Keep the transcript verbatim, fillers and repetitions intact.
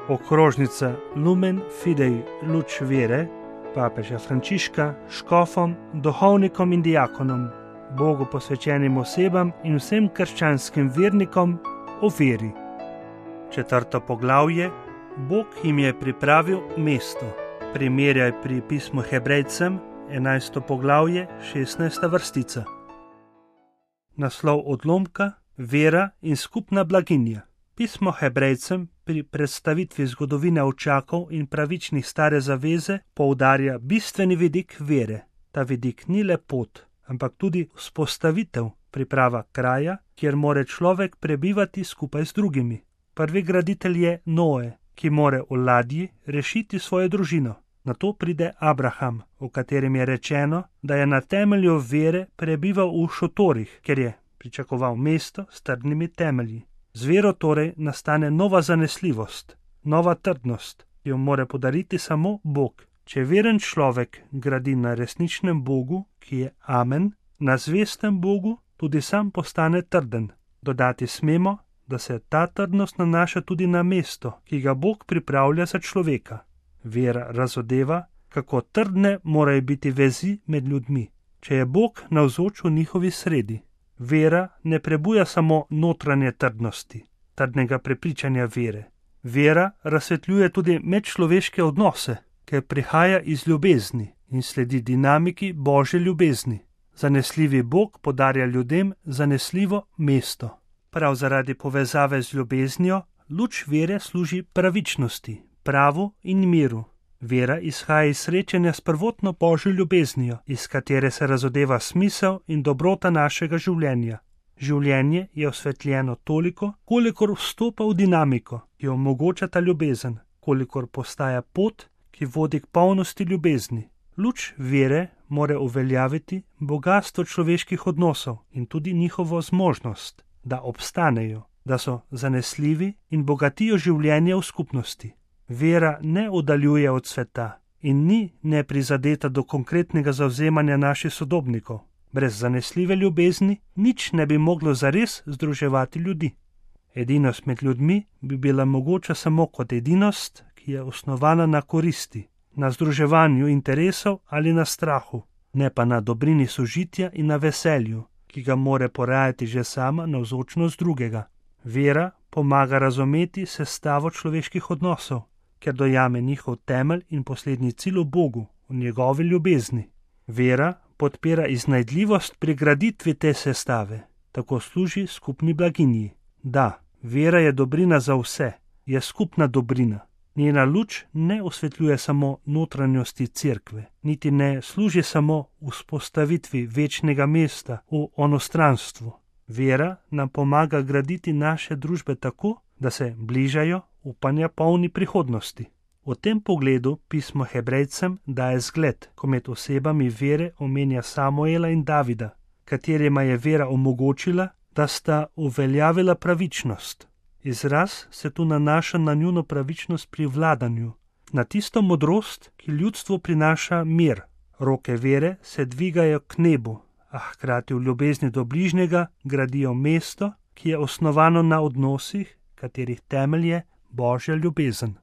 Okrožnica Lumen Fidei luč vere papeža Frančiška škofom, duhovnikom in diakonom, Bogu posvečenim osebam in vsem krščanskim vernikom o veri. Četrto poglavje. Bog jim je pripravil mesto. Primerjaj pri pismu Hebrejcem, enajsto poglavje, šestnajsta vrstica. Naslov odlomka: Vera in skupna blaginja. Pismo Hebrejcem pri predstavitvi zgodovine očakov in pravičnih stare zaveze poudarja bistveni vidik vere. Ta vidik ni le pot, ampak tudi vzpostavitev, priprava kraja, kjer more človek prebivati skupaj z drugimi. Prvi graditelj je Noe, ki more v ladji rešiti svojo družino. Nato pride Abraham, o katerem je rečeno, da je na temelju vere prebival v šotorih, ker je pričakoval mesto s trdnimi temelji. Z vero torej nastane nova zanesljivost, nova trdnost, ki jo more podariti samo Bog. Če veren človek gradi na resničnem Bogu, ki je Amen, na zvestem Bogu, tudi sam postane trden. Dodati smemo, da se ta trdnost nanaša tudi na mesto, ki ga Bog pripravlja za človeka. Vera razodeva, kako trdne morajo biti vezi med ljudmi, če je Bog navzoč v njihovi sredi. Vera ne prebuja samo notranje trdnosti, trdnega prepričanja vere. Vera razsvetljuje tudi medčloveške odnose, ker prihaja iz ljubezni in sledi dinamiki Božje ljubezni. Zanesljivi Bog podarja ljudem zanesljivo mesto. Prav zaradi povezave z ljubeznijo luč vere služi pravičnosti, pravu in miru. Vera izhaja iz srečanja s prvotno Božjo ljubeznijo, iz katere se razodeva smisel in dobrota našega življenja. Življenje je osvetljeno toliko, kolikor vstopa v dinamiko, ki omogoča ta ljubezen, kolikor postaja pot, ki vodi k polnosti ljubezni. Luč vere more uveljaviti bogastvo človeških odnosov in tudi njihovo zmožnost, da obstanejo, da so zanesljivi in bogatijo življenje v skupnosti. Vera ne oddaljuje od sveta in ni neprizadeta do konkretnega zavzemanja naših sodobnikov. Brez zanesljive ljubezni nič ne bi moglo zares združevati ljudi. Edinost med ljudmi bi bila mogoča samo kot edinost, ki je osnovana na koristi, na združevanju interesov ali na strahu, ne pa na dobrini sožitja in na veselju, ki ga more porajati že sama navzočnost drugega. Vera pomaga razumeti sestavo človeških odnosov, ker dojame njihov temelj in poslednji cilj v Bogu, v njegovi ljubezni. Vera podpira iznajdljivost pri graditvi te sestave, tako služi skupni blaginji. Da, vera je dobrina za vse, je skupna dobrina. Njena luč ne osvetljuje samo notranjosti cerkve, niti ne služi samo vzpostavitvi večnega mesta v onostranstvu. Vera nam pomaga graditi naše družbe tako, da se bližajo upanja polni prihodnosti. V tem pogledu pismo Hebrejcem daje zgled, ko med osebami vere omenja Samuela in Davida, katerima je vera omogočila, da sta uveljavila pravičnost. Izraz se tu nanaša na njuno pravičnost pri vladanju, na tisto modrost, ki ljudstvu prinaša mir. Roke vere se dvigajo k nebu, a hkrati v ljubezni do bližnjega gradijo mesto, ki je osnovano na odnosih, katerih temelj je Božja ljubezen.